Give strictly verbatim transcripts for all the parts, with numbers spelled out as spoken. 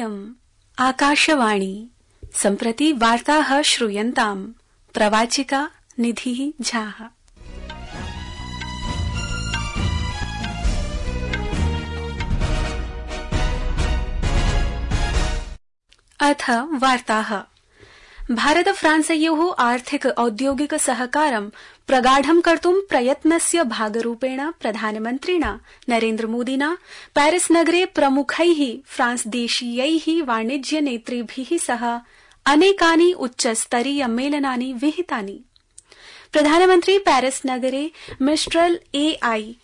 इयम् आकाशवाणी। सम्प्रति वार्ताः श्रूयन्ताम्। प्रवाचिका निधिः झाः। अथ वार्ताः। भारत फ्रांसयोः आर्थिक औद्योगिक सहकारं प्रगाढं कर्तुं प्रयत्नस्य भागरूपेण प्रधानमन्त्रिणा नरेन्द्र मोदिना पेरिस नगरे प्रमुखैः फ्रांसदेशीयैः वाणिज्य नेतृभिः सह अनेकानि उच्चस्तरीय मेलनानि विहितानि। प्रधानमन्त्री पेरिस नगरे मिस्ट्रल एआई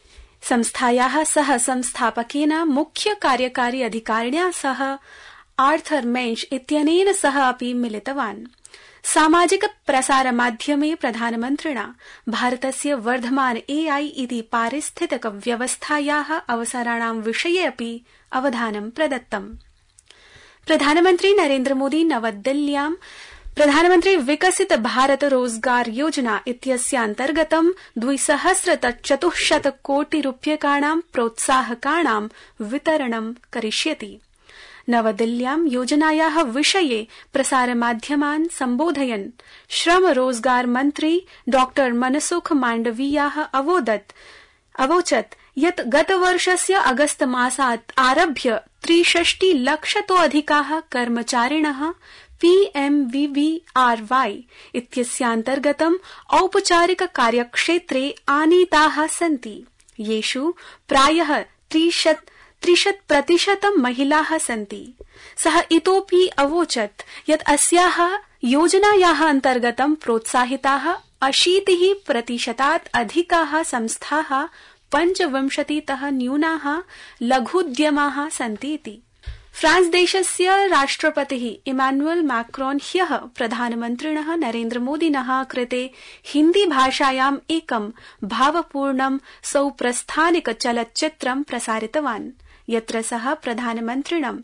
संस्थायाः सह संस्थापकेन मुख्य कार्यकारी अधिकारिण्या सह आर्थर मेंश इत्यनेन सह अपि मिलितवान्। सामाजिक प्रसार माध्यमे प्रधानमन्त्रिणा भारतस्य वर्धमान एआई इति पारिस्थितिक व्यवस्थायाः अवसराणां विषये अपि अवधानं प्रदत्तम्। प्रधानमन्त्री नरेन्द्र मोदी नवदिल्ल्यां प्रधानमन्त्री विकसित भारत रोजगार योजना इत्यस्यान्तर्गतं द्विसहस्रचतुश्शत कोटि रूप्यकाणां प्रोत्साहकाणां वितरणं करिष्यति। नवदिल्ल्यां योजनायाः विषये प्रसारमाध्यमान् सम्बोधयन् श्रम रोजगार मन्त्री डॉ मनसुख माण्डवीयः अवोदत् अवोचत् यत् गतवर्षस्य अगस्त मासात् आरभ्य त्रिषष्टि लक्षतोऽधिकाः कर्मचारिणः पीएमवीवीआरवाई इत्यस्यान्तर्गतं औपचारिक कार्यक्षेत्रे आनीताः सन्ति, येषु प्रायः त्रिशत् त्रिशत् प्रतिशतं महिलाः सन्ति। सः इतोऽपि अवोचत् यत् अस्याः योजनायाः अन्तर्गतं प्रोत्साहिताः अशीतिः प्रतिशतात् अधिकाः संस्थाः पञ्चविंशतितः न्यूनाः लघुद्यमाः सन्ति इति। फ्रांस देशस्य राष्ट्रपतिः इमानुएल मैक्रोन ह्यः प्रधानमन्त्रिणः नरेन्द्र मोदिनः कृते हिन्दी भाषायाम् एकं भावपूर्णं सौप्रस्थानिक चलच्चित्रं प्रसारितवान्, यत्र सः प्रधानमन्त्रिणं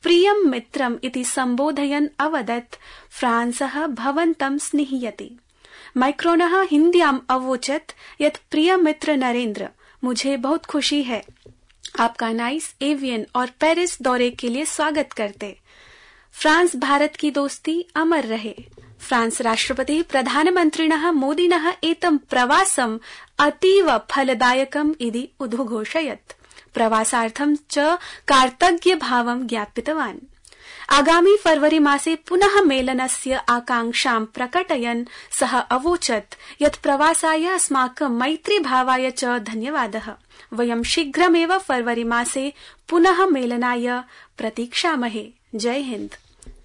प्रियं मित्रम् इति सम्बोधयन् अवदत् फ्रांसः भवन्तं स्निह्यति। मैक्रोनः हिन्द्याम् अवोचत् यत् प्रिय मित्र नरेन्द्र, मुझे बहुत खुशी है, आपका नाइस एवियन और पेरिस दौरे के लिए स्वागत करते। फ्रांस भारत की दोस्ती अमर रहे। फ्रांस राष्ट्रपतिः प्रधानमन्त्रिणः मोदिनः एतं प्रवासम् अतीव फलदायकम् इति उद्घोषयत्। प्रवासार्थं च कार्तज्ञभावं ज्ञापितवान्। आगामी फरवरी मासे पुनः मेलनस्य आकांक्षां प्रकटयन् सः अवोचत् यत् प्रवासाय अस्माकं मैत्रीभावाय च धन्यवादः। वयं शीघ्रमेव फरवरी मासे पुनः मेलनाय प्रतीक्षामहे। जय हिन्द।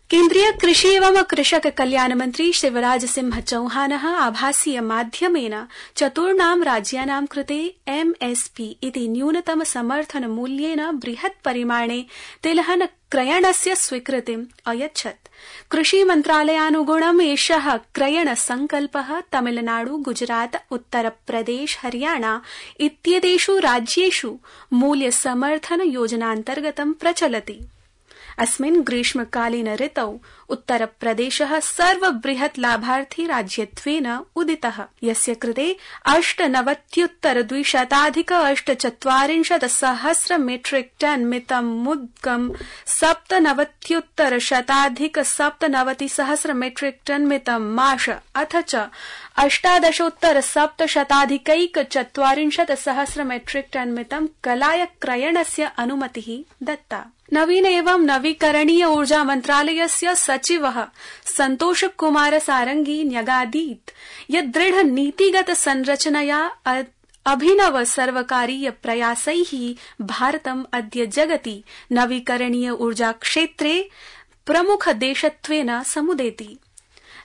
केन्द्रीय कृषि एवं कृषक कल्याण मंत्री शिवराज सिंह चौहानः आभासीय माध्यमेन चतुर्णां राज्यानां कृते एमएसपी इति न्यूनतम समर्थन मूल्येन बृहत् परिमाणे तिलहन क्रयणस्य स्वीकृतिम् अयच्छत्। कृषि मन्त्रालयानुगुणम् एषः क्रयण संकल्पः तमिलनाडु, गुजरात, उत्तरप्रदेश, हरियाणा इत्येतेषु राज्येषु मूल्य समर्थन योजनान्तर्गतं प्रचलति। अस्मिन् ग्रीष्मकालीन ऋतौ उत्तरप्रदेशः सर्वबृहत् लाभार्थी राज्यत्वेन उदितः, यस्य कृते अष्टनवत्युत्तर द्विशताधिक अष्टचत्वारिंशत् सहस्र मेट्रिक टन मितं मुद्गं सप्तनवत्युत्तर शताधिक सप्तनवति सहस्र मेट्रिक टन मितं माश अथ च अष्टादशोत्तर सप्तशताधिकैक चत्वारिंशत् सहस्र मेट्रिक टन मितं कलाय क्रयणस्य अनुमतिः दत्ता। नवीन एवं नवीकरणीय ऊर्जा मन्त्रालयस्य सचिवः संतोष कुमार सारंगी न्यगादीत् यत् दृढ़ नीतिगत संरचनया अभिनव सर्वकारीय प्रयासैः भारतम् अद्य जगति नवीकरणीय ऊर्जा क्षेत्रे प्रमुख देशत्वेन समुदेति।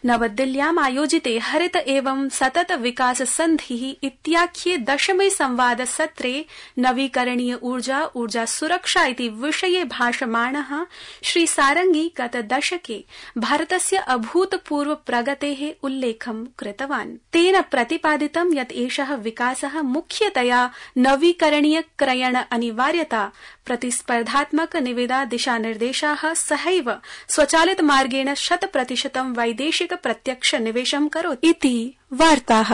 नवदिल्ल्याम् आयोजिते हरित एवं सतत विकास संधिः इत्याख्ये दशमे संवाद सत्रे नवीकरणीय ऊर्जा ऊर्जा सुरक्षा इति विषये भाषमाणः श्री सारंगी गत दशके भारतस्य अभूतपूर्व प्रगतेः उल्लेखं कृतवान्। तेन प्रतिपादितं यत् एषः विकासः मुख्यतया नवीकरणीय क्रयण अनिवार्यता, प्रतिस्पर्धात्मक निविदा दिशानिर्देशाः सहैव स्वचालित मार्गेण शत प्रतिशतं वैदेशिक प्रत्यक्ष निवेशं करोति इति वार्ताः।